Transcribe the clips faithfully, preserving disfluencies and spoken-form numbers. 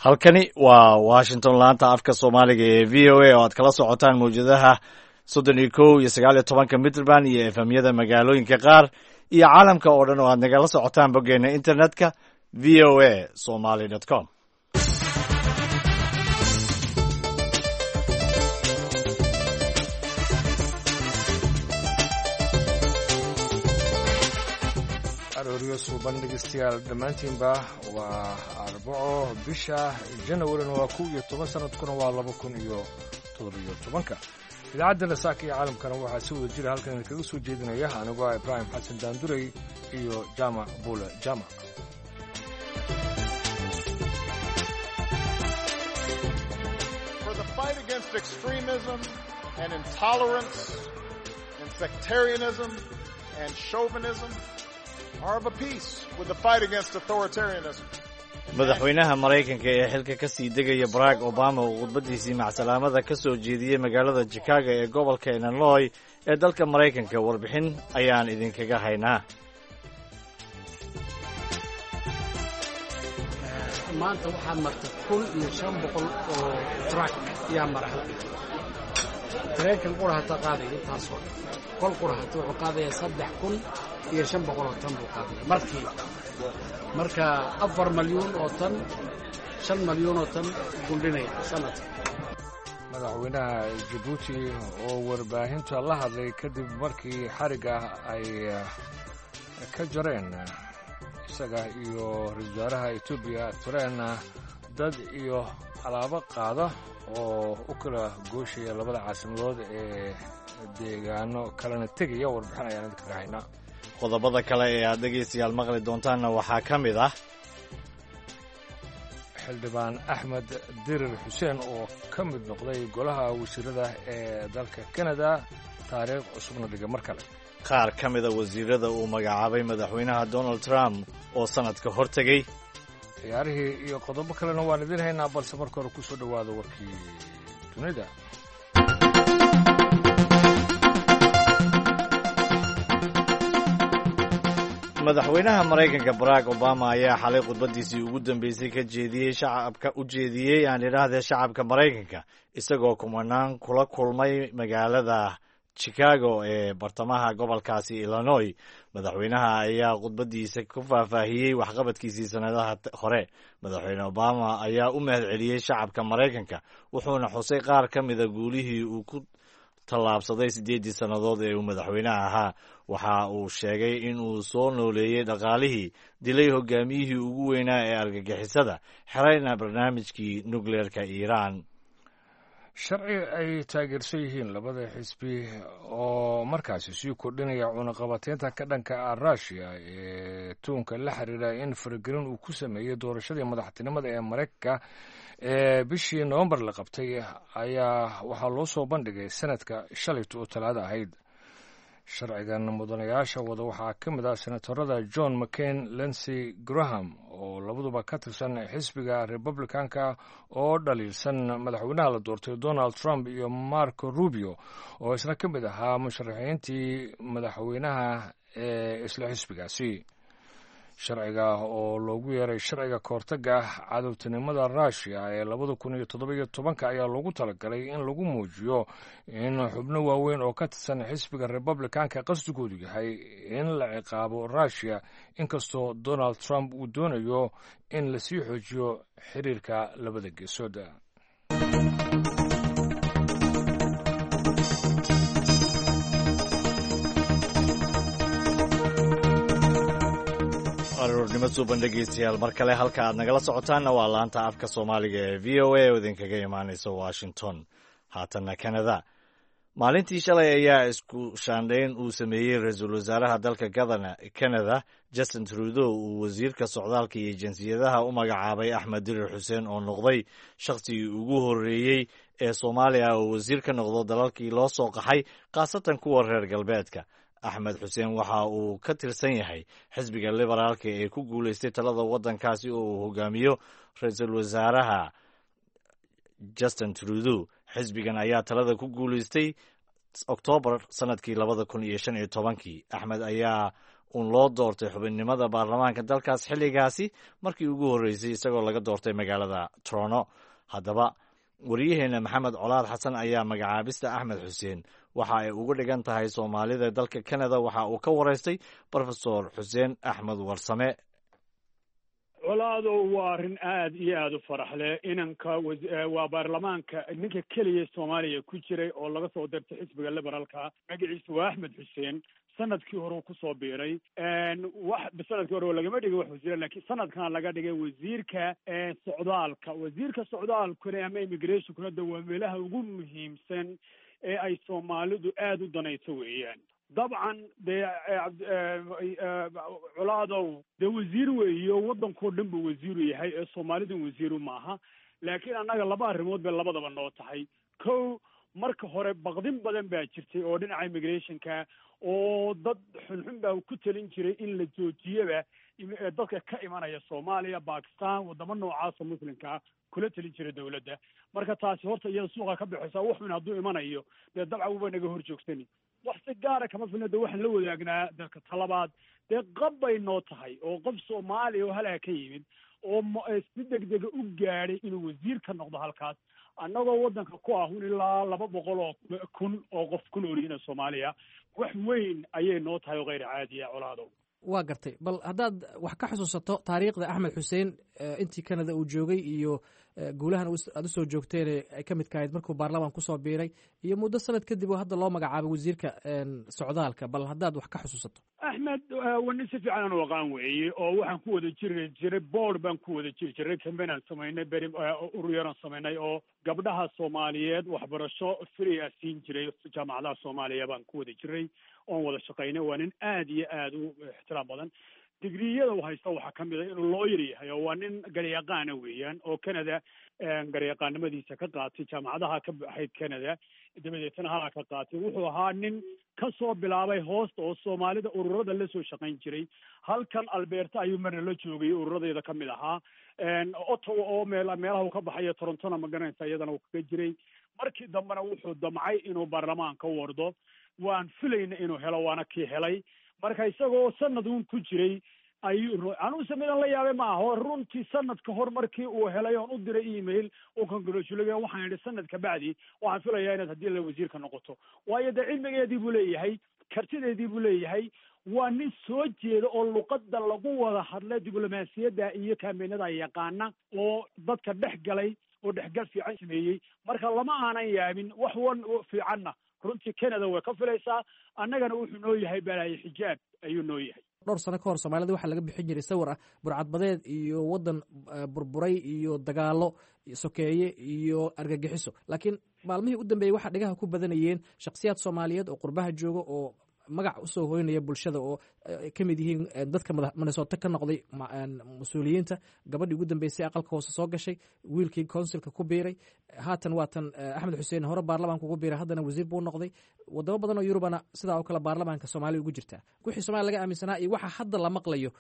Halkani waa Washington, laanta afka Soomaaliga ee V O A, oo aad kala socotaan mawjadaha soddon iyo kow iyo sagaal iyo tobanka mitrband iyo F M-yada magaalooyinka qaar iyo caalamka oo dhan oo aad nagala socotaan boggeena internetka, V O A Somali com. Arooryo suuban, dhegeystayaal dhammaantiinba. Waa Arbaco, bisha Janawarina waa kow iyo toban, sanadkuna waa laba kun iyo toddobiyo tobanka. Idaacadda Saaka iyo Caalamkana waxaa si wada jira halkan idinkaga soo jeedinaya anigoo ah Ibraahim Xasan Daandurey iyo Jaamac Buule Jaamac. For the fight against extremism and intolerance and sectarianism and chauvinism are of a piece with the fight against authoritarianism. Madaxweynaha Maraykanka ee xilka ka sii degaya, Barack Obama, oo khudbaddiisii macsalaamada ka soo jeediyey magaalada Chicago ee gobolka Illinois ee dalka Maraykanka. Warbixin ayaan idinkaga haynaa. Maanta waxaa marta kun iyo shan boqol oo truck yaa mara halka. Tareenkan qura hata qaadaya intaasoo dhan. Kol qura hata wuxuu qaadaya saddex kun iyo shan boqol oo tan buu qaadaya markii. Marka afar malyuun oo tan, shan malyuun oo tan guldhinaya sanadka. Madaxweynaha Jabuuti oo warbaahinta la hadlay kadib markii xarigga ay ka jareen isaga iyo ra-isul wasaaraha Etoobiya tareen dad iyo alaabo qaada oo u kala gooshaya labada caasimadood ee deegaano kalena tegaya, warbixin ayaan idinkaga haynaa. Qodobada kale ee aad dhegaystayaal maqli doontaanna waxaa ka mid ah Xildhibaan Axmed Dirir Xuseen oo ka mid noqday golaha wasiirada ee dalka Canada, taariikh cusubna dhigay mar kale. Qaar ka mida wasiirada uu magacaabay Madaxweynaha Donald Trump oo sanadka hor tegey. Ciyaarihii iyo qodobo kalena waan idiin haynaa, balse marka hore ku soo dhowaada warkii dunida. Madaxweynaha Maraykanka Barack Obama ayaa xalay khudbaddiisii ugu dambeysay ka jeediyey shacabka, u jeediyey aan idhaahdee, shacabka Maraykanka, isagoo kumanaan kula kulmay magaalada Chicago ee bartamaha gobolkaasi Illinois. Madaxweynaha ayaa khudbaddiisa ku faahfaahiyey waxqabadkiisii sannadaha hore. Madaxweyne Obama ayaa u mahad celiyey shacabka Maraykanka, wuxuuna xusay qaar ka mida guulihii uu ku tallaabsaday siddeeddii sannadood ee uu madaxweynaha ahaa. Waxa uu sheegay in uu soo nooleeyey dhaqaalihii, dilay hogaamiyihii ugu weynaa ee argagixisada, xerayna barnaamijkii nukleerka Iiraan. Sharci ay taageersan yihiin labada xisbi oo markaasi sii kordhinaya cunaqabateynta ka dhanka ah Russiya ee tuunka la xiriira in faragelin uu ku sameeyey doorashadii madaxtinimada ee Maraykanka ee bishii Novembar la qabtay ayaa waxaa loo soo bandhigay sanadka shalayta oo Talaada ahayd. Sharcigan mudanayaasha wada waxaa ka mid ah senatorada John McCain, Lindsey Graham oo labaduba ka tirsan xisbiga Republicanka oo dhaliilsan madaxweynaha la doortay Donald Trump, iyo Marco Rubio oo isna ka mid ahaa musharaxiintii madaxweynaha ee isla xisbigaasi. Sharciga oo loogu yeeray sharciga kahortaga cadowtinimada Russiya ee labada kun iyo toddoba iyo tobanka ayaa loogu talagalay in lagu muujiyo in xubno waaweyn oo ka tirsan xisbiga Republicanka qasdigoodu yahay in la ciqaabo Russiya, inkastoo Donald Trump uu doonayo in lasii xoojiyo xiriirka labada geesood. Aroornimo suuban, dhegeystayaal, mar kale. Halka aad nagala socotaanna waa laanta afka Soomaaliga ee V O A oo idinkaga imaanaysa Washington. Haatanna Canada. Maalintii shalay ayaa isku shaandhayn uu sameeyey ra-iisul wasaaraha dalka Canada, Justin Trudeau, uu wasiirka socdaalka iyo jinsiyadaha u magacaabay Axmed Dirir Xuseen, oo noqday shakhsigii ugu horreeyey ee Soomaaliya oo wasiir ka noqdo dalalkii loo soo qaxay, khaasatan kuwa reer galbeedka. Axmed Xuseen waxa uu ka tirsan yahay xisbiga Liberaalka ee ku guulaystay talada waddankaasi oo uu hogaamiyo ra-iisul wasaaraha Justin Trudeau. Xisbigan ayaa talada ku guulaystay Oktoobar sanadkii labada kun iyo shan iyo tobankii. Axmed ayaa uun loo doortay xubinnimada baarlamaanka dalkaas xilligaasi markii ugu horreysay, isagoo laga doortay magaalada Toronto. Haddaba, wariyaheena Maxamed Colaad Xasan ayaa magacaabista Axmed Xuseen waxa ay uga dhigan tahay Soomaalida dalka Canada waxa uu ka waraystay Profesor Xuseen Axmed Warsame. Colaadow, waa arrin aad iyo aada u farax leh. Inanka waa baarlamaanka ninka keliya Soomaaliya ku jiray oo laga soo dirtay xisbiga Liberalka. Magaciisu waa Axmed Xuseen. Sanadkii hore uu kusoo biiray. Wax sanadkii hore lagama dhigay wax wasiira, lakiin sanadkan laga dhigay wasiirka socdaalka. Wasiirka socdaalkuna ama immigrationkuna de waa meelaha ugu muhiimsan ee ay Soomaalidu aada u danayso weeyaan. Dabcan dee, Colaadow, dee wasiir weeyo, waddankao dhan buu wasiiru yahay ee Soomaalidu wasiiru maaha. Laakiin annaga laba arrimood bay labadaba noo tahay. Kow, marka hore baqdin badan baa jirtay oo dhinaca immigrationka, oo dad xunxun baa ku talin jiray in la joojiyaba dadka ka imanaya Soomaaliya, Bakistan, waddamo noocaasa Muslimkaa kula talin jiray dawladda. Marka taasi horta iyada suuqa ka bixisa. Wuxuun hadduu imanayo dee dabcan wuba naga hor joogsani, wax si gaara kama filna. De waxaan la wadaagnaa dalka. Talabaad, dee qab bay noo tahay oo qof Soomaaliya oo halaa ka yimid oo si degdega u gaadhay inuu wasiir ka noqdo halkaas, annagoo waddanka ku ah un ilaa laba boqol oo kun oo qof ku nool yihiin Soomaaliya, wax weyn ayay noo tahay oo kheyr caadiya, Colaadow. Waa gartay. Bal haddaad wax ka xusuusato taariikhda Axmed Xuseen intii Canada uu joogay iyo guulahan aad usoo joogteen ay ka midka ahayd markuu baarlamaan kusoo biiray iyo muddo sanad kadib oo hadda loo magacaabay wasiirka socdaalka, bal haddaad wax ka xusuusato. Axmed waa nin si fiican aan u aqaan weeye, oo waxaan ku wada jiri jiray board baan ku wada jiri jiray, campaign aan samaynay, beri urur yaraan samaynay oo gabdhaha Soomaaliyeed waxbarasho free ah siin jiray jaamacadaha Soomaaliya baan ku wada jiray oon wada shaqaynay. Waa nin aad iyo aad u ixtiraam badan. Digriyada uu haysta waxaa ka mid a inuu lawyer yahay, oo waa nin garyaqaana weeyaan, oo Canada garyaqaanimadiisa ka qaatay jaamacadaha ka baxayd Canada, dabadeetana halaa ka qaatay. Wuxuu ahaa nin ka soo bilaabay hoosta oo Soomaalida ururada la soo shaqayn jiray. Halkan Alberta ayuu marna la joogay, ururadeeda ka mid ahaa. Ottawa oo meel meelaha uu ka baxayo, Torontona, ma garanaysa, iyadana uu kaga jiray. Markii dambena wuxuu damcay inuu baarlamaanka wardo. Waan filayna inuu helo, waana kii helay. Marka isagoo sanad uun ku jiray ayuu, anugu midan la yaabay ma aho runtii, sanad ka hor markii uu helay oon u diray email oo congratulate, waxaan idhi sanad ka bacdi waxaan filayaa inaad haddii la wasiirka noqoto, waayo dee cilmigeedii buu leeyahay, kartideedii buu leeyahay. Waa nin soo jeeda oo luqadda lagu wada hadla, diblomaasiyadda iyo campaignada yaqaana, oo dadka dhex galay oo dhexgal fiican sameeyey. Marka lama aanan yaabin. Wax wan fiicanna runtii Canada way ka filaysaa, annagana wuxuu noo yahay balaayo xijaab ayuu noo yahay. Dhowr sano ka hor Soomaalida waxaa laga bixin jiray sawir ah burcadbadeed iyo waddan burburay iyo dagaalo sokeeye iyo argagixiso, laakiin maalmihii u dambeeyey waxaa dhagaha ku badanayeen shakhsiyaad Soomaaliyeed oo qurbaha jooga oo magac usoo hoynaya bulshada, oo ka mid yihiin dadka Minnesota ka noqday mas-uuliyiinta, gabadhii ugu dambeysay aqalka hoose soo gashay, wiilkii councilka ku biiray haatan, waatan Axmed Xuseen hore baarlamaanka ugu biiray, haddana wasiir buu noqday. Wadamo badan oo Yurubana sidaa oo kale baarlamaanka Soomaaliya ugu jirtaa. Wixii Somalia laga aaminsanaa iyo waxa hadda la maqlayo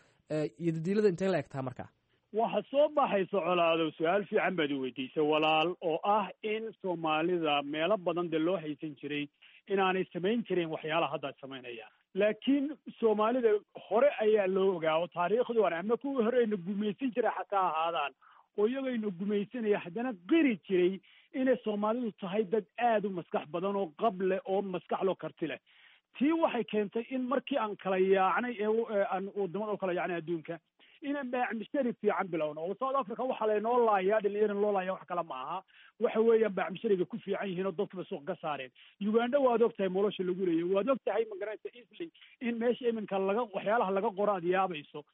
iyo dadiilada intee la egtaa markaa? Waxa soo baxaysa, Colaadow, su-aal fiican baad i weydiisay walaal, oo ah in Soomaalida meelo badan dee loo haysan jiray inaanay samayn jirin waxyaalaha hadda ay samaynayaan. Laakiin Soomaalida hore ayaa loo ogaa oo taariikhdii hore ama kuwii hore ayna gumaysan jiray xataa ahaadaan oo iyagayna gumaysanaya, haddana qiri jiray inay Soomaalidu tahay dad aada u maskax badan oo qab leh oo maskax loo karti leh. Tii waxay keentay in markii aan kala yaacnay ee aan wadamada u kala yaacnay adduunka inaan baacmishari fiican bilowno, oo South Africa waxaa laynoo laayaa dhalinyarana loo laaya wax kale ma aha, waxa weeyaan baacmishariga ku fiican yihiin oo dadkaba suuq ka saareen. Uganda waad og tahay nolosha lagu leeyahy, waad og tahay, magaranaysa, easily in meesha iminka laga waxyaalaha laga qoro aad yaabayso.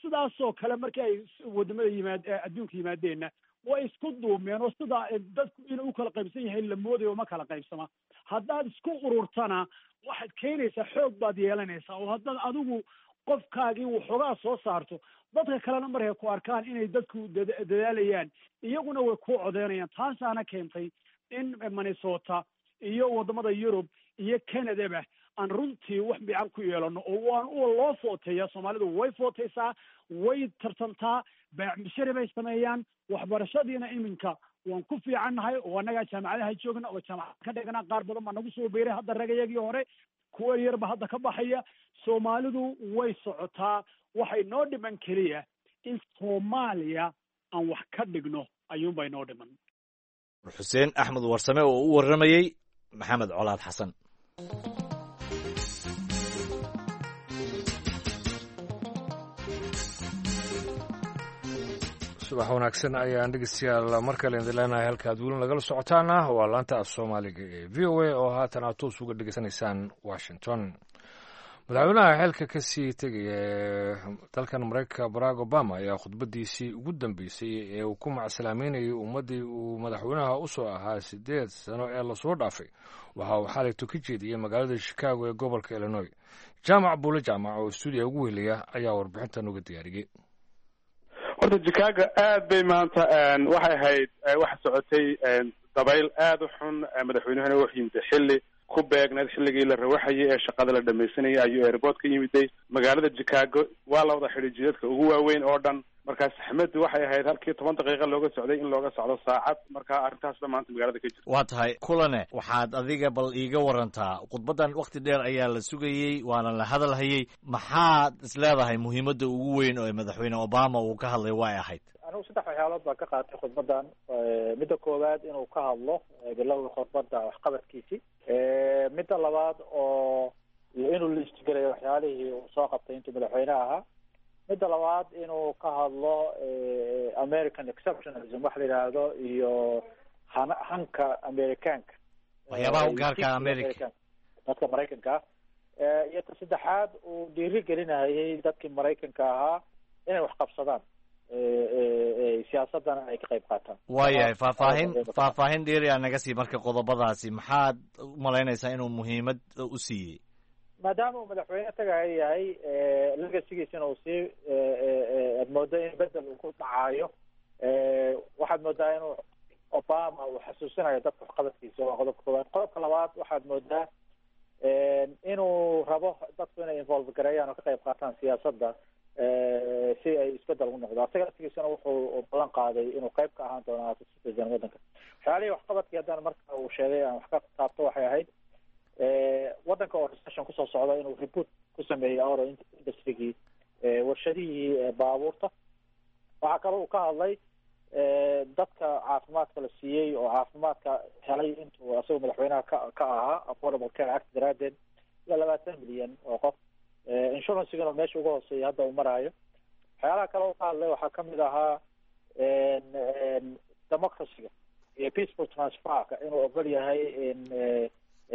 Sidaasoo kale markii ay wadamada yimaad adduunka yimaadeenna way isku duumeen, oo sidaa dadku inuu u kala qaybsan yahay la moodayo ma kala qaybsama. Haddaad isku ururtana waxaad keenaysaa xoog baad yeelanaysaa, oo haddaad adigu qofkaagii waxoogaa soo saarto, dadka kalena markay ku arkaan inay dadku dadaalayaan, iyaguna way ku codeynayaan. Taasaana keentay in Minnesota iyo wadamada Yurub iyo Canadaba aan runtii wax fiican ku yeelano, oo waan loo footeeya. Soomaalidu way footeysaa, way tartantaa, baacmishari bay sameeyaan, waxbarashadiina iminka Waan ku fiicannahay oo annagaa jaamacadaha joogna oo jaamacad ka dhigna, qaar badan baa nagu soo biiray hadda, ragayagii hore kuwa yarba hadda ka baxaya. Soomaalidu way socotaa, waxay noo dhiman keliya in Soomaaliya aan wax ka dhigno ayuunbay noo dhiman. Xuseen Axmed Warsame oo u warramayey Maxamed Colaad Xasan. Subax wanaagsan ayaan dhegeystayaal mar kale idin leenahay. Halkaad weli nagala socotaana waa laanta af Soomaaliga ee V O A oo haatan aad toos uga dhegeysanaysaan Washington. Madaxweynaha xilka ka sii tegaya ee dalkan Maraykanka Barack Obama ayaa khudbadiisii ugu dambeysay ee uu ku macsalaameynayay ummaddii uu madaxweynaha u soo ahaa siddeed sano ee lasoo dhaafay waxa uu xalayto ka jeediyey magaalada Chicago ee gobolka Illinois. Jaamac Buule Jaamac oo stuudiya ugu weheliya ayaa warbixintan uga diyaariyey. Horta Chicago aad bay maanta waxay ahayd, waxa socotay dabayl aad u xun. Madaxweynuhuna wuxuu yimid xilli ku beegneed xilligii la rawaxayay ee shaqada la dhamaysanayay ayuu airport ka yimiday magaalada Chicago. Waa la wada xidhay jidadka ugu waaweyn oo dhan. Markaa saxmaddu waxay ahayd halkii toban daqiiqa looga socday in looga socdo saacad. Marka arrintaasba maanta magaalada ka jirta. Waa tahay kulane, waxaad adiga bal iiga warantaa khudbaddan wakhti dheer ayaa la sugayey waana la hadalhayey. Maxaad is leedahay muhiimadda ugu weyn oo madaxweyne Obama uu ka hadlay way ahayd? Anigu saddex waxyaalood baan ka qaatay khudbaddan. Midda koowaad, inuu ka hadlo bilowga khudbadda waxqabadkiisii. Midda labaad oo inuu liistgelayo waxyaalihii uu soo qabtay intuu madaxweyne ahaa. Midda labaad, inuu ka hadlo American exceptionalism wax la yidhaahdo iyo han hanka Americaanka, waxyaabaha u gaarka America, dadka Maraykanka ah. Iyo ta saddexaad, uu dhiiri gelinayay dadkii Maraykanka ahaa inay wax qabsadaan, siyaasadana ay ka qayb qaataan. Waayahay, faahfaahin faahfaahin dheeri aa naga sii marka qodobadaasi. Maxaad u malaynaysaa inuu muhiimad u siiyey? Maadaama uu madaxweyne tagaya yahay, legacygiisina uu sii aad moodo in bedel uu ku dhacaayo, waxaad moodaa inuu Obama uu xasuusinayo dadka waxqabadkiisa. Waa qodobka koowaad. Qodobka labaad, waxaad moodaa inuu rabo dadku inay involve gareeyaan oo ka qayb qaataan siyaasadda si ay isbedel ugu noqdo. Asaga laftigiisana wuxuu ballan qaaday inuu qayb ka ahaan doono as a citizen waddanka. Waxyaalihii waxqabadkii haddana marka uu sheegay aan wax ka taabto, waxay ahayd waddanka oo recession kusoo socda inuu reboot ku sameeyey auto industrygii, warshadihii baabuurta. Waxaa kaloo uu ka hadlay dadka caafimaadka la siiyey oo caafimaadka helay intuu asagoo madaxweynaha ka ka ahaa Affordable Care Act daraaddeed, ilaa labaatan milyan oo qof, insurancegana meesha uga hooseeya hadda uu maraayo. Waxyaalaha kale uu ka hadlay waxaa kamid ahaa democracyga iyo peaceful transferka, inuu ogol yahay in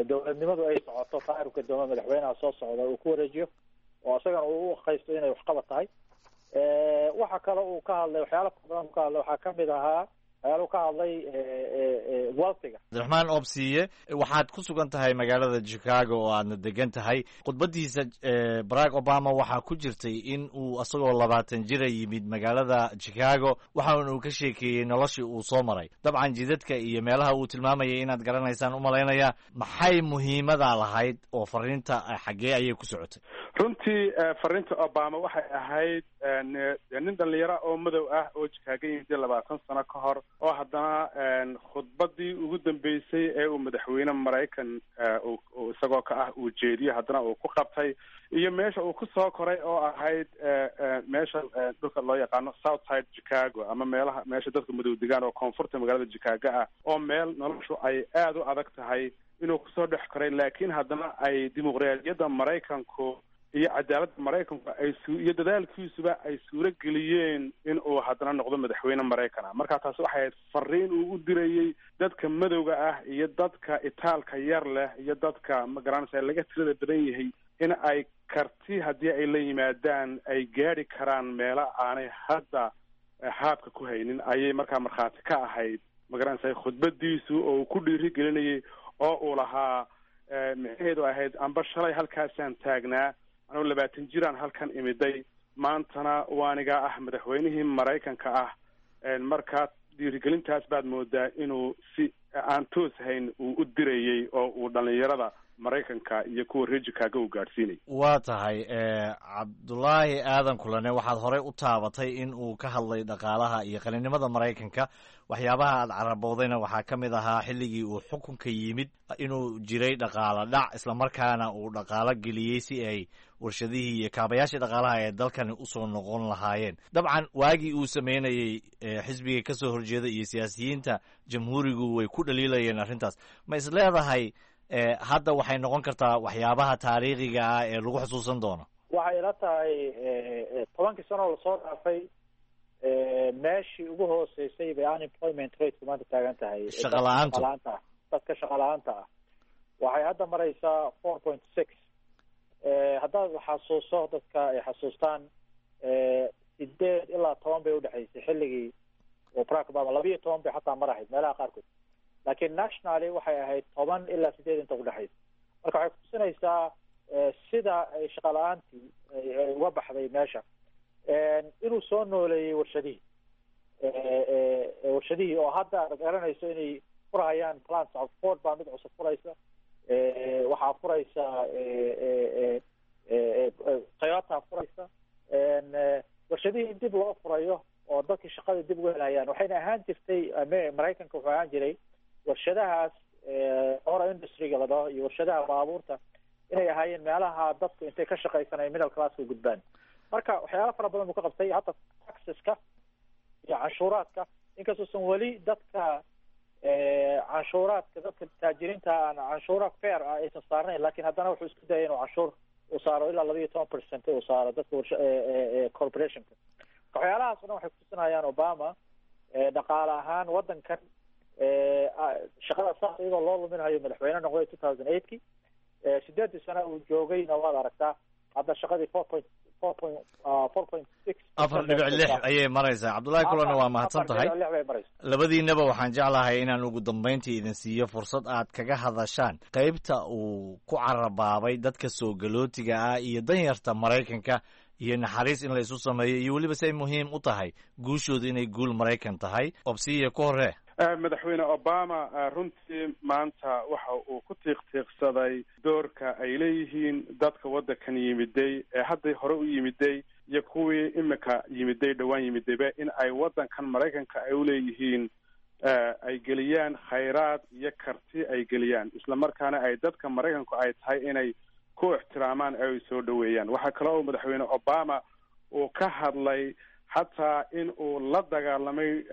dowladnimadu ay socoto, taarifka dooma madaxweynaha soo socda uu ku wareejiyo oo isagana uu u aqaysto inay waxqabad tahay. Waxa kale uu ka hadlay, waxyaala fara badan uu ka hadlay, waxaa kamid ahaa waxyaala uu ka hadlay wealthiga. Cabdiraxmaan Obsiye, waxaad ku sugan tahay magaalada Chicago oo aadna degan tahay. Khudbaddiisa Barack Obama waxaa ku jirtay in uu asagoo labaatan jira yimid magaalada Chicago, waxaana uu ka sheekeeyey noloshii uu soo maray. Dabcan jidadka iyo meelaha uu tilmaamayay inaad garanaysaan u malaynaya. Maxay muhiimada lahayd oo fariinta xaggee ayay ku socotay? Runtii fariinta Obama waxay ahayd nin dhalinyaro oo madow ah oo Chicago yimid labaatan sano ka hor, oo haddana khudbadii ugu dambeysay ee uu madaxweyne Maraykan isagoo ka ah uu jeediyo haddana uu ku qabtay, iyo meesha uu kusoo koray oo ahayd meesha dhulka loo yaqaano South Side Chicago, ama meelaha meesha dadka madow degaan oo koonfurta magaalada Chicago ah, oo meel noloshu ay aada u adag tahay inuu kusoo dhex koray, laakiin haddana ay dimuqraadiyadda Maraykanku iyo cadaaladda Maraykanku ay su iyo dadaalkiisuba ay suuro geliyeen in uu haddana noqdo madaxweyne Maraykan ah. Marka taasi waxay ahayd fariin uu u dirayey dadka madowga ah iyo dadka itaalka yar leh iyo dadka magaranaysa laga tirada badan yahay in ay karti haddii ay la yimaadaan ay gaadhi karaan meelo aanay hadda haabka ku haynin. Ayay markaa markhaati ka ahayd magaranaysa khudbadiisu oo uu ku dhiiri gelinayay oo uu lahaa micnaheedu ahayd amba shalay halkaasaan taagnaa anuu labaatan jiraan halkan imiday, maantana waanigaa ah madaxweynihii Maraykanka ah. Markaa dhiirigelintaas baad moodaa inuu si aan toos hayn uu u dirayey oo uu dhalinyarada Maraykanka iyo kuwa reer Chicago uu gaadhsiinay. Waa tahay, Cabdulaahi Aadan Kulane, waxaad horey u taabatay in uu ka hadlay dhaqaalaha iyo qalinimada Maraykanka. Waxyaabaha aad caraboodayna waxaa ka mid ahaa xilligii uu xukunka yimid inuu jiray dhaqaalo dhac, islamarkaana uu dhaqaalo geliyey si ay warshadihii iyo kaabayaashii dhaqaalaha ee dalkani usoo noqon lahaayeen. Dabcan waagii uu sameynayey xisbiga ka soo horjeeda iyo siyaasiyiinta jamhuurigu way ku dhaliilayeen arrintaas. Ma is leedahay hadda waxay noqon kartaa waxyaabaha taariikhiga ah ee lagu xusuusan doono? Waxay ila tahay tobankii sano oo lasoo dhaafay meeshii ugu hooseysay bay unemployment rateku maanta taagan tahay. Shaqa la-aantu. Shaqala-aanta ah, dadka shaqa la-aanta ah waxay hadda maraysaa four point six. Haddaad xasuuso, dadka ay xasuustaan, sideed ilaa toban bay udhexaysay xilligii oo Barack Obama, laba iyo toban bay xataa mar ahayd meelaha qaarkood, laakiin nationally waxay ahayd toban ilaa sideed inta udhexaysa. Marka waxay kutusinaysaa sida ay shaqa la-aantii ay uga baxday meesha, inuu soo nooleeyey warshadihii warshadihii oo hadda aad garanayso inay furhayaan plants. Ford baa mid cusub furaysa, waxaa furaysa Toyota furaysa, warshadihii in dib loo furayo oo dadkii shaqada dib uga helayaan. Waxayna ahaan jirtay Maraykanka wuxuu ahaan jiray warshadahaas ora industryga la dhaho iyo warshadaha baabuurta inay ahaayeen meelaha dadku intay ka shaqaysanay middle classka gudbaan. Marka waxyaala fara badan buu ka qabtay, hadda taxeska iyo canshuuraadka, inkastoosan weli dadka canshuuraadka dadka taajiriinta aan canshuura fair ah aysan saarnayn, lakin haddana wuxuu isku dayay inuu canshuur uu saaro ilaa laba iyo toban percent uu saaro dadka warsha corporationka. Waxyaalahaas o dhan waxay kutusinayaan Obama dhaqaale ahaan waddankan shaqada saas iyadoo loo luminayo madaxweyne noqday two thousand eightkii, sideedii sano uu joogayna waad aragtaa hadda shaqadii four point four point four point six, afar dhibic lix ayay maraysaa. Cabdullaahi Kulana, waa mahadsan tahay. Afar dhibic lix bay maraysaa. Labadiinaba waxaan jeclahay inaan ugu dambayntii idin siiyo fursad aad kaga hadashaan qaybta uu ku carabaabay dadka soo galootiga ah iyo danyarta Maraykanka iyo naxariis in la isu sameeyo, iyo weliba si ay muhiim u tahay guushooda inay guul Maraykan tahay. Obsiya ku horee. Madaxweyne Obama runtii maanta waxa uu ku tiiqtiiqsaday doorka ay leeyihiin dadka waddankan yimiday ee hadday hore u yimiday iyo kuwii imika yimiday dhowaan yimidayba, in ay waddankan Maraykanka ay uleeyihiin ay geliyaan khayraad iyo karti ay geliyaan, isla markaana ay dadka Maraykanku ay tahay inay ku ixtiraamaan ee ay soo dhoweeyaan. Waxaa kale oo madaxweyne Obama uu ka hadlay xataa in uu la dagaalamay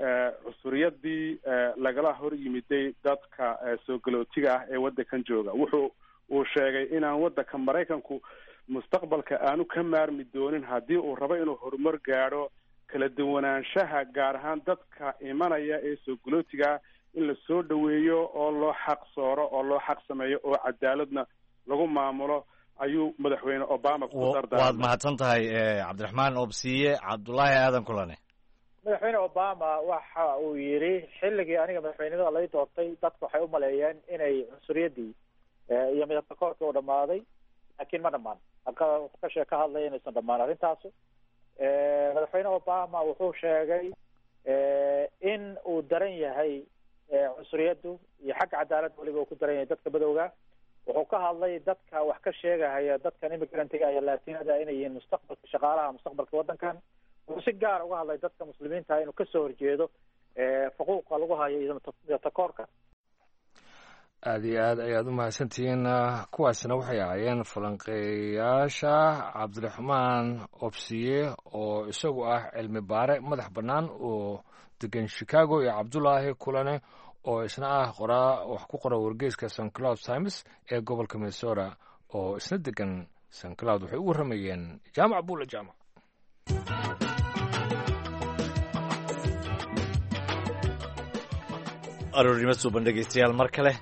cusuriyadii lagala hor yimiday dadka soo galootiga ah ee waddankan jooga. Wuxuu uu sheegay inaan waddanka Maraykanku mustaqbalka aanu ka maarmi doonin haddii uu rabo inuu horumar gaadho kala duwanaanshaha, gaar ahaan dadka imanaya ee soo galootiga, in la soo dhoweeyo oo loo xaq sooro oo loo xaq sameeyo oo cadaaladna lagu maamulo ayuu madaxweyne Obama ku dardaarmay. Waad mahadsan tahay, Cabdiraxmaan Obsiye. Cabdulaahi Aadan Kulane. Madaxweyne Obama waxa uu yidhi xilligii aniga madaxweynimada lay doortay dadku waxay u maleeyeen inay cunsuriyaddii iyo midabka koorkii u dhammaaday, laakiin ma dhammaan. Wuxuu ka shee ka hadlaya inaysan dhammaan arrintaasu. Madaxweyne Obama wuxuu sheegay in uu daran yahay cunsuriyaddu iyo xagga cadaaladda weliba uu ku daran yahay dadka madowga. Wuxuu ka hadlay dadka wax ka sheegahaya dadkan immigrantga iyo Latinada inay yihiin mustaqbalka shaqaalaha, mustaqbalka waddankan. Wuxuu si gaara uga hadlay dadka muslimiinta inuu kasoo horjeedo xuquuqa lagu hayo iyo takoorka. Aada iyo aad ayaad u mahadsantihiin. Kuwaasna waxay ahaayeen falanqeeyaasha Cabdiraxmaan Obsiye oo isagu ah cilmi baare madax bannaan oo degan Chicago, iyo Cabdulaahi Kulane oo isna ah qoraa wax ku qora wargeyska Saint Cloud Times ee gobolka Minnesota oo isna degan Saint Cloud. Waxay u warramayeen Jaamac Buule Jaamac. Aroornimo suuban dhegeystayaal mar kale.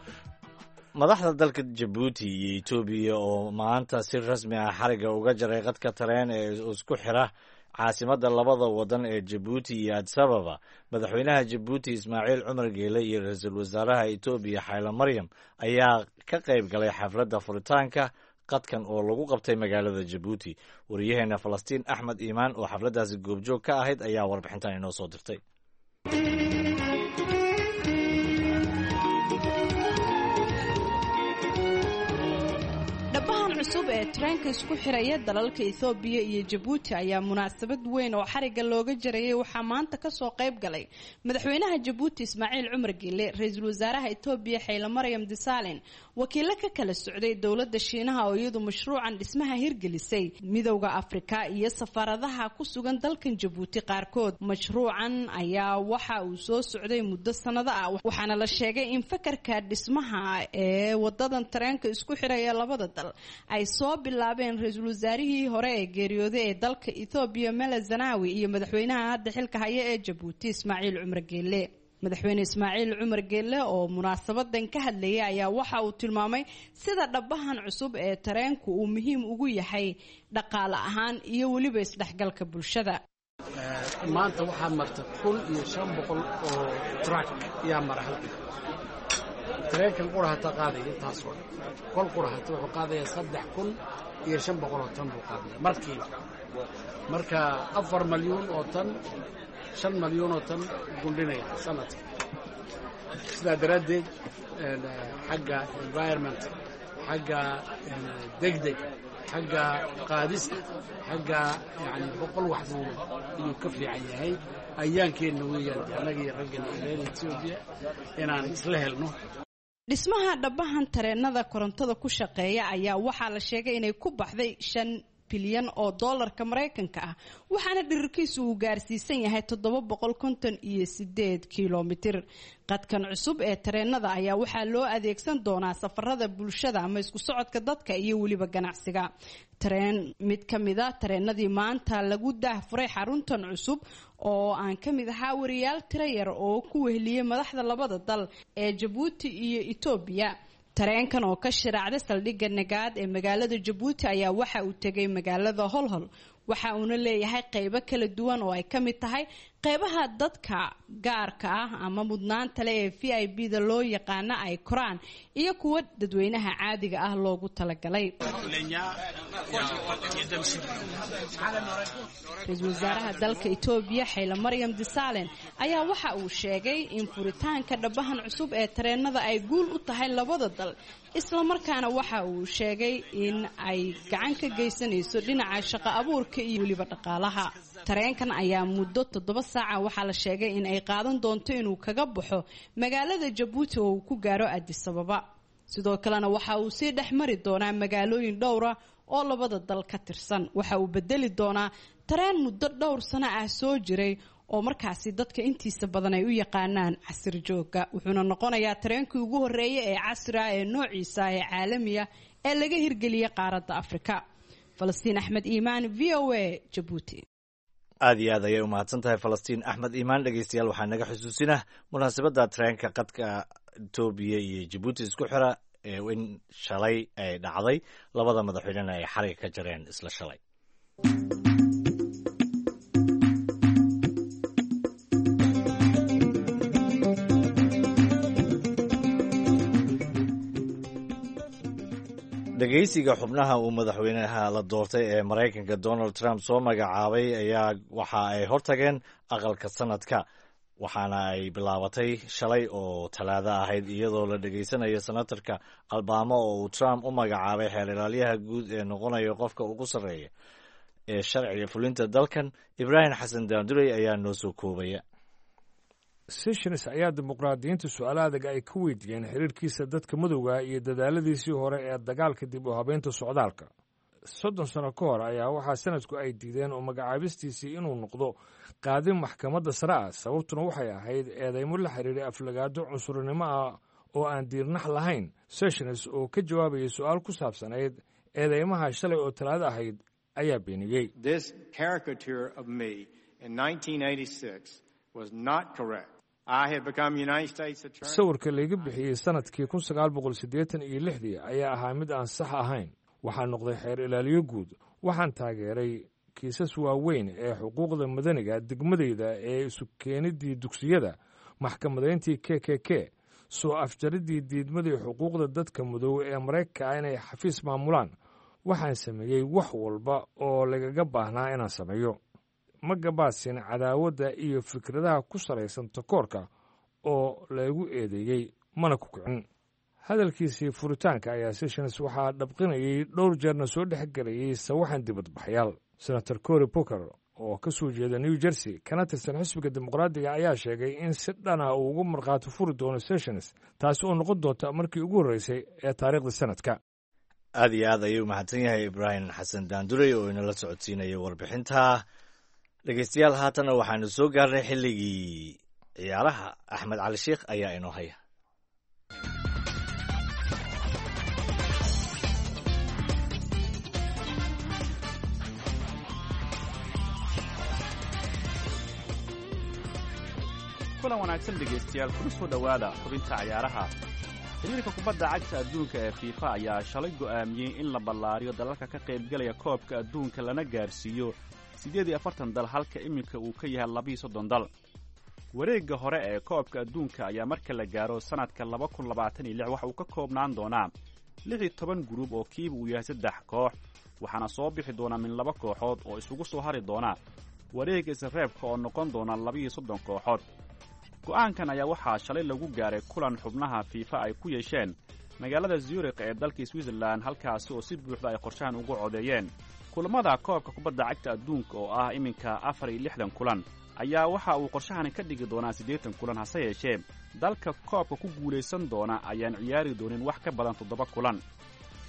Madaxda dalka Jabuuti iyo Etoobiya oo maanta si rasmi ah xariga uga jaray qadka tareen ee isku xira caasimadda labada wadan ee Jabuuti iyo Addis Ababa, madaxweynaha Jabuuti Ismaaciil Cumar Geele iyo ra-iisul wasaaraha Etoobiya Xaylo Maryam ayaa ka qayb galay xafladda furitaanka qadkan oo lagu qabtay magaalada Jabuuti. Wariyaheena Falastiin Axmed Iimaan oo xafladdaasi goobjoog ka ahayd ayaa warbixintan inoo soo dirtay. ee tareenka isku xiraya dalalka Itoobiya iyo Jabuuti ayaa munaasabad weyn oo xariga looga jarayay waxaa maanta kasoo qayb galay madaxweynaha Jabuuti Ismaaciil Cumar Geele, ra-iisul wasaaraha Itoobiya Xayla Maryam Desalegn, wakiilo ka kala socday dowladda Shiinaha oo iyadu mashruucan dhismaha hirgelisay, Midowda Afrika iyo safaaradaha ku sugan dalkan Jabuuti qaarkood. Mashruucan ayaa waxa uu soo socday muddo sanado ah, waxaana la sheegay in fakarka dhismaha ee wadadan tareenka isku xiraya labada dal ay soo bilaabeen ra-iisul wasaarihii hore ee geeriyooday ee dalka Itoobiya Mele Zenawi iyo madaxweynaha hadda xilka haya ee Jabuuti Ismaaciil Cumar Geele. Madaxweyne Ismaaciil Cumar Geele oo munaasabadan ka hadlayay ayaa waxa uu tilmaamay sida dhabahan cusub ee tareenku uu muhiim ugu yahay dhaqaale ahaan iyo weliba isdhexgalka bulshada. Maanta waxaa marta kun iyo shan boqol oo truck yaa mara halkan. Tareenkan qura hataa qaadaya intaasoo dhan, kol qura hata wuxuu qaadaya saddex kun iyo shan boqol oo tan buu qaadaya markiiba. Marka afar malyuun oo tan, shan malyuun oo tan gundhinaya sanadka. Sidaa daraaddeed xagga environment, xagga degdeg, xagga qaadista, xagga yani boqol wax buu ayuu ka fiican yahay. Ayaankeenna weeyaan annaga iyo raggan reer Etoobiya inaan isla helno. Dhismaha dhabahan tareenada korontada ku shaqeeya ayaa waxaa la sheegay inay ku baxday shan bilyan oo doolarka Maraykanka ah, waxaana dhirirkiisu uu gaarsiisan yahay toddoba boqol konton iyo sideed kilomitir. Qadkan cusub ee tareenada ayaa waxaa loo adeegsan doonaa safarada bulshada ama isku socodka dadka iyo weliba ganacsiga. Tareen mid ka mida tareenadii maanta lagu daahfuray xaruntan cusub oo aan ka mid ahaa wariyaal tiro yar oo ku weheliyey madaxda labada dal ee Jabuuti iyo Itoobiya. Tareenkan oo ka shiraacday saldhigga Nagaad ee magaalada Jabuuti ayaa waxa uu tegay magaalada Holhol, waxa uuna leeyahay qeybo kala duwan oo ay ka mid tahay qeybaha dadka gaarka ah ama mudnaanta leh ee V I P da loo yaqaano ay koraan iyo kuwa dadweynaha caadiga ah loogu talagalay. Ra-iisul wasaaraha dalka Itoobiya Xayla Maryam Desalegn ayaa waxa uu sheegay in furitaanka dhabahan cusub ee tareenada ay guul u tahay labada dal, isla markaana waxa uu sheegay in ay gacan ka geysanayso dhinaca shaqo abuurka iyo weliba dhaqaalaha. Tareenkan ayaa muddo toddoba saaca waxaa la sheegay in ay qaadan doonto inuu kaga baxo magaalada Jabuuti oo uu ku gaaro Addis Ababa. Sidoo kalena waxa uu sii dhex mari doonaa magaalooyin dhowra oo labada dal ka tirsan. Waxa uu bedeli doonaa tareen muddo dhowr sano ah soo jiray oo markaasi dadka intiisa badan ay u yaqaanaan casri jooga, wuxuuna noqonayaa tareenkii ugu horreeya ee casri ah ee noociisa ee caalamiya ee laga hirgeliyay qaaradda Afrika. Falastiin Axmed Iimaan, V O A, Jabuuti. Aad iyo aad ayay u mahadsan tahay Falastiin Axmed Iimaan. Dhegeystayaal, waxaa naga xusuusinah munaasabadda tareenka qadka Itoobiya iyo Jabuuti isku xira ee in shalay ay dhacday, labada madaxweynena ay xariga ka jareen isla shalay. Dhegeysiga xubnaha uu madaxweynaha la doortay ee Maraykanka Donald Trump soo magacaabay ayaa waxa ay hortageen aqalka sanadka, waxaana ay bilaabatay shalay oo talaado ahayd, iyadoo la dhegeysanayo senatarka Alabama oo uu Trump u magacaabay xeer ilaalyaha guud ee noqonaya qofka ugu sarreeya ee sharciga fulinta dalkan. Ibraahim Xasan Daandurey ayaa noo soo koobaya. Sessions ayaa dimuqraadiyiinta su-aalo adag ay ka weydiiyeen xiriirkiisa dadka madowga iyo dadaaladiisii hore ee dagaalka dib u habeynta socdaalka. Soddon sano ka hor ayaa waxaa sanadku ay diideen oo magacaabistiisii inuu noqdo qaadi maxkamadda sare ah, sababtuna waxay ahayd eedeymo la xiriiray aflagaado cunsurinimo ah oo aan diirnax lahayn. Sessions oo ka jawaabayay su-aal ku saabsanayd eedeymaha shalay oo talaado ahayd ayaa beeniyey. Sawirka layga bixiyey sanadkii kun sagaal boqol siddeetan iyo lixdii ayaa ahaa mid aan sax ahayn. Waxaan noqday xeer ilaaliyo guud. Waxaan taageeray kiisas waaweyn ee xuquuqda madaniga degmadayda ee isu keenidii dugsiyada, maxkamadayntii K K K, soo afjaridii diidmadii xuquuqda dadka madow ee Maraykanka ah inay xafiis maamulaan. Waxaan sameeyey wax walba oo lagaga baahnaa inaan sameeyo. Ma gabaasin cadaawadda iyo fikradaha ku salaysan takoorka oo laygu eedeeyey, mana ku kicin. Hadalkiisii furitaanka ayaa Sessions waxaa dhabqinayay dhowr jeerna soo dhex gelayay sawaxan dibadbaxyaal. Senator Cory Booker oo ka soo jeeda New Jersey kana tirsan xisbiga Dimuqraadiga ayaa sheegay in si dhana uu ugu markhaati furi doono Sessions, taasi oo noqon doonta markii ugu horreysay ee taariikhda sanadka. Aad iyo aad ayuu mahadsan yahay Ibraahim Xasan Daandurey oo inala socodsiinaya warbixinta. Dhegeystayaal, haatanna waxaanu soo gaarnay xilligii ciyaaraha. Axmed Cali Sheikh ayaa inoo haya. Kulan wanaagsan dhegaystayaal, kuna soo dhowaada xubinta cayaaraha. Xiriirka kubadda cagta adduunka ee FIFA ayaa shalay go'aamiyey in la ballaariyo dalalka ka qaybgalaya koobka adduunka lana gaarsiiyo siddeed iyo afartan dal, halka iminka uu ka yahay labiiyo soddon dal. Wareegga hore ee koobka adduunka ayaa marka la gaaro sannadka laba kun labaatan iyo lix waxa uu ka koobnaan doonaa lix iyo toban guruub oo kiiba uu yahay saddex koox, waxaana soo bixi doona min laba kooxood oo isugu soo hari doona wareegga isreebka oo noqon doona labiiyo soddon kooxood. Go'aankan ayaa waxaa shalay lagu gaaray kulan xubnaha FIFA ay ku yeesheen magaalada Zurikh ee dalka Switzerland, halkaasi oo si buuxda ay qorshahan ugu codeeyeen. Kulamada koobka kubadda cagta adduunka oo ah iminka afar iyo lixdan kulan ayaa waxa uu qorshahani ka dhigi doonaa siddeetan kulan, hase yeeshee dalka koobka ku guulaysan doona ayaan ciyaari doonin wax ka badan toddoba kulan.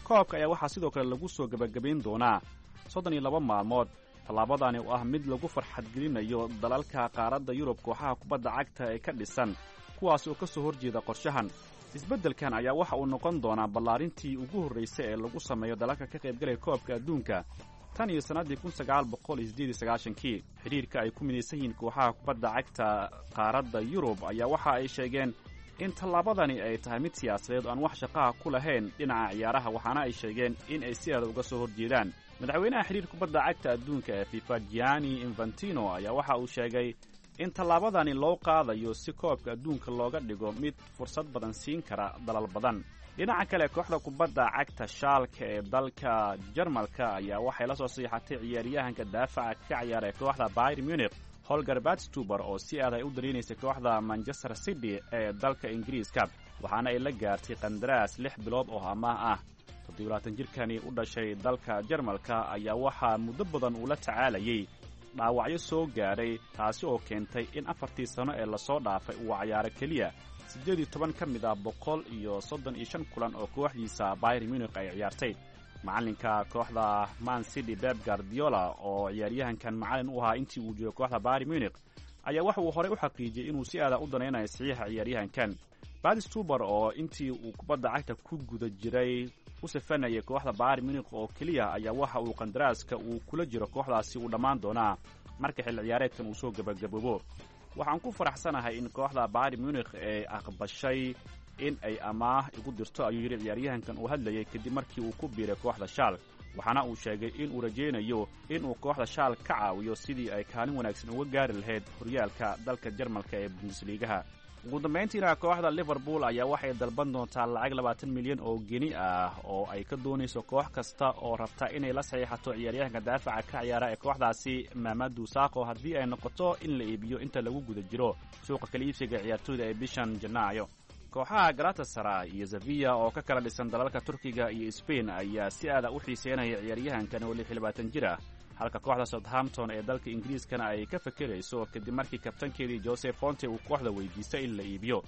Koobka ayaa waxaa sidoo kale lagu soo gebagabayn doonaa soddon iyo laba maalmood. Tallaabadani oo ah mid lagu farxadgelinayo dalalka qaaradda Yurub kooxaha kubadda cagta ee ka dhisan, kuwaas oo ka soo horjeeda qorshahan. Isbeddelkan ayaa waxa uu noqon doonaa ballaarintii ugu horraysay ee lagu sameeyo dalalka ka qaybgalaya koobka adduunka tan iyo sannaddii kun sagaal boqol iyo siddeed iyo sagaashankii. Xidhiirka ay ku midaysan yihiin kooxaha kubadda cagta qaaradda Yurub ayaa waxa ay sheegeen in tallaabadani ay tahay mid siyaasadeed oo aan wax shaqaha ku lahayn dhinaca ciyaaraha, waxaana ay sheegeen in ay si aada uga soo horjeedaan. Madaxweynaha xiriir kubadda cagta adduunka ee FIFA Gianni Infantino ayaa waxa uu sheegay in tallaabadani loo qaadayo si koobka adduunka looga dhigo mid fursad badan siin kara dalal badan. Dhinaca kale, kooxda kubadda cagta Shaalka ee dalka Jarmalka ayaa waxay la soo siixatay ciyaaryahanka daafaca ka ciyaara ee kooxda Bayern Munich Holger Badstuber oo si aad ay u dareynaysay kooxda Manchester City ee dalka Ingiriiska, waxaana ay la gaartay qandaraas lix bilood oo amaah ah. Toddobaatan jirkani u dhashay dalka Jarmalka ayaa waxaa muddo badan uu la tacaalayay dhaawacyo soo gaadhay, taasi oo keentay in afartii sano ee lasoo dhaafay uu cayaaro keliya siddeed iyo toban ka mid ah boqol iyo soddon iyo shan kulan oo kooxdiisa Bayern Munich ay ciyaartay. Macalinka kooxda Man City Pep Guardiola oo ciyaaryahankan macalin u ahaa intii uu joogo kooxda Bayern Munich ayaa waxa uu horey u xaqiijiyey inuu si aada u danaynayo saxiixa ciyaaryahankan. Badstuber oo intii uu kubadda cagta ku guda jiray u safanayay kooxda Bayern Munich oo keliya ayaa waxa uu qandaraaska uu kula jiro kooxdaasi uu dhammaan doonaa marka xilli ciyaareedkan uu soo gebagaboobo. Waxaan ku faraxsanahay in kooxda Bayern Munich ay aqbashay in ay amaah igu dirto, ayuu yidhi ciyaaryahankan uu hadlayay kadib markii uu ku biiray kooxda Schalke, waxaana uu sheegay in uu rajaynayo in uu kooxda Schalke ka caawiyo sidii ay kaalin wanaagsan uga gaari lahayd horyaalka dalka Jarmalka ee Bundesligaha. Ugu dambayntiina, kooxda Liverpool ayaa waxay dalban doontaa lacag labaatan milyan oo geni ah oo ay ka doonayso koox kasta oo rabta inay la saxiixato ciyaaryahanka daafaca ka ciyaara ee kooxdaasi Mamadou Sakho, haddii ay noqoto in la iibiyo inta lagu guda jiro suuqa kala iibsiga ciyaartooyda ee bishan Janaayo. Kooxaha Galatasaray iyo Sevilla oo ka kala dhisan dalalka Turkiga iyo Spain ayaa si aada u xiiseynaya ciyaaryahankan oo lix iyo labaatan jir ah, halka kooxda Southampton ee dalka Ingiriiskana ay ka fekerayso kadib markii kabtankeedii Jose Fonte uu kooxda weydiistay in la iibiyo.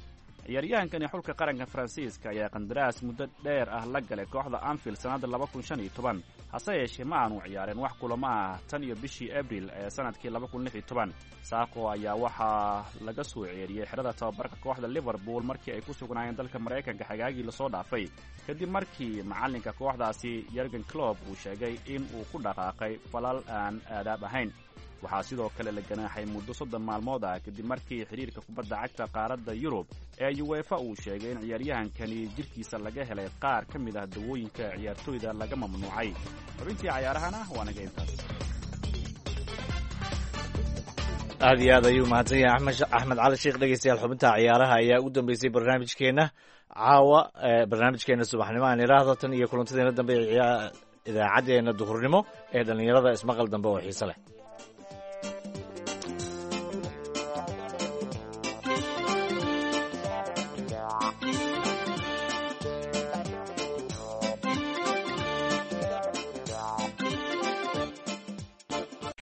Ciyaaryahankani xulka qaranka Faransiiska ayaa qandaraas muddo dheer ah la galay kooxda Anfield sannadda laba kun shan iyo toban, hase yeeshee ma aanu ciyaareen wax kulamo ah tan iyo bishii Abril ee sannadkii laba kun lix iyo toban. Sakho ayaa waxaa laga soo ceeriyey xerada tababarka kooxda Liverpool markii ay ku sugnaayeen dalka Maraykanka xagaagii lasoo dhaafay, kadib markii macalinka kooxdaasi Jurgen Klopp uu sheegay in uu ku dhaqaaqay falal aan aadaab ahayn. Waxaa sidoo kale la ganaaxay muddo soddon maalmood ah kadib markii xidhiirka kubadda cagta qaaradda Yurub ee UEFA uu sheegay in ciyaaryahankani jidhkiisa laga helay qaar ka mid ah dawooyinka ciyaartooyda laga mamnuucay. Xubintii cayaarahana waa naga intaas. Aad iyo aad ayuu mahadsan yahay Axmed Axmed Cali Sheekh. Dhegeystayaal, xubinta ciyaaraha ayaa ugu dambeysay barnaamijkeena caawa, barnaamijkeena subaxnimo aan idhaahdo. Tan iyo kulantadeena dambe idaacaddeenna duhurnimo ee dhallinyarada, ismaqal dambe oo xiise leh.